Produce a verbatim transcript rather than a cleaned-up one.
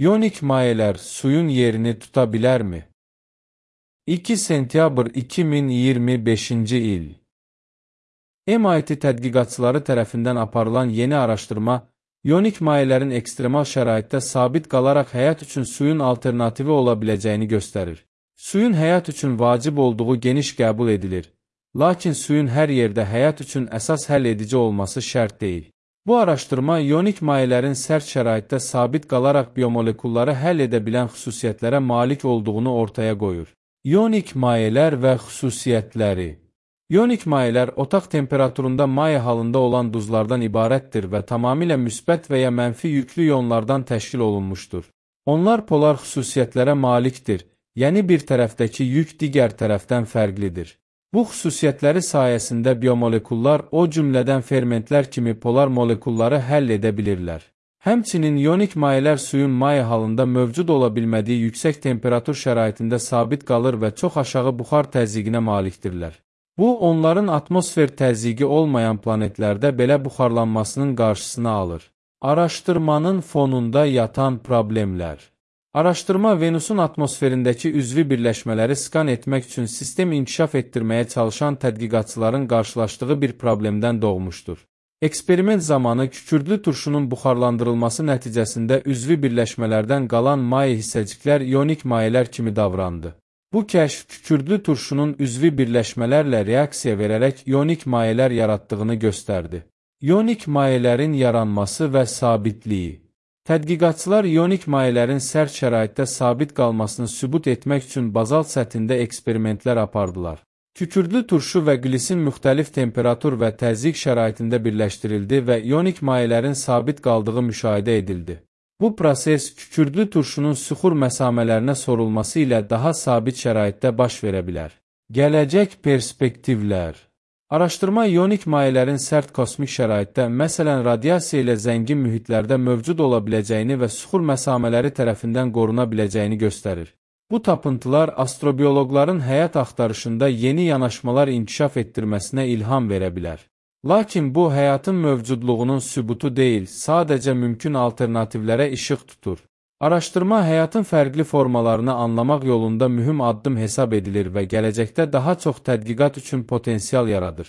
İyonik mayeler suyun yerini tutabilir mi? iki sentyabr iki min iyirmi beşinci il M I T tədqiqatçıları tərəfindən aparılan yeni araşdırma, iyonik mayələrin ekstremal şəraitdə sabit qalaraq həyat üçün suyun alternativi ola biləcəyini göstərir. Suyun həyat üçün vacib olduğu geniş qəbul edilir, lakin suyun hər yerdə həyat üçün əsas həll edici olması şərt deyil. Bu araşdırma, iyonik mayələrin sərt şəraitdə sabit qalaraq biomolekulları həll edə bilən xüsusiyyətlərə malik olduğunu ortaya qoyur. İyonik mayələr və xüsusiyyətləri. İyonik mayələr otaq temperaturunda maye halında olan duzlardan ibarətdir və tamamilə müsbət və ya mənfi yüklü iyonlardan təşkil olunmuşdur. Onlar polar xüsusiyyətlərə malikdir, yəni bir tərəfdəki yük digər tərəfdən fərqlidir. Bu xüsusiyyətləri sayəsində biomolekullar, o cümlədən fermentlər kimi polar molekulları həll edə bilirlər. Həmçinin iyonik mayələr suyun maye halında mövcud ola bilmədiyi yüksək temperatur şəraitində sabit qalır və çox aşağı buxar təzyiqinə malikdirlər. Bu, onların atmosfer təzyiqi olmayan planetlərdə belə buxarlanmasının qarşısını alır. Araşdırmanın fonunda yatan problemlər. Araşdırma Venusun atmosferindəki üzvi birləşmələri skan etmək üçün sistem inkişaf etdirməyə çalışan tədqiqatçıların qarşılaşdığı bir problemdən doğmuşdur. Eksperiment zamanı kükürdlü turşunun buxarlandırılması nəticəsində üzvi birləşmələrdən qalan maye hissəciklər iyonik mayələr kimi davrandı. Bu kəşf kükürdlü turşunun üzvi birləşmələrlə reaksiya verərək iyonik mayələr yaratdığını göstərdi. İyonik mayələrin yaranması və sabitliyi. Tədqiqatçılar iyonik mayələrin sərt şəraitdə sabit qalmasını sübut etmək üçün bazalt səthində eksperimentlər apardılar. Kükürdlü turşu və glisin müxtəlif temperatur və təzyiq şəraitində birləşdirildi və iyonik mayələrin sabit qaldığı müşahidə edildi. Bu proses kükürdlü turşunun süxur məsamələrinə sorulması ilə daha sabit şəraitdə baş verə bilər. Gələcək perspektivlər. Araşdırma iyonik mayələrin sərt kosmik şəraitdə, məsələn radiasiya ilə zəngin mühitlərdə mövcud ola biləcəyini və süxur məsamələri tərəfindən qoruna biləcəyini göstərir. Bu tapıntılar astrobioloqların həyat axtarışında yeni yanaşmalar inkişaf etdirməsinə ilham verə bilər. Lakin bu, həyatın mövcudluğunun sübutu deyil, sadəcə mümkün alternativlərə işıq tutur. Araşdırma həyatın fərqli formalarını anlamaq yolunda mühüm addım hesab edilir və gələcəkdə daha çox tədqiqat üçün potensial yaradır.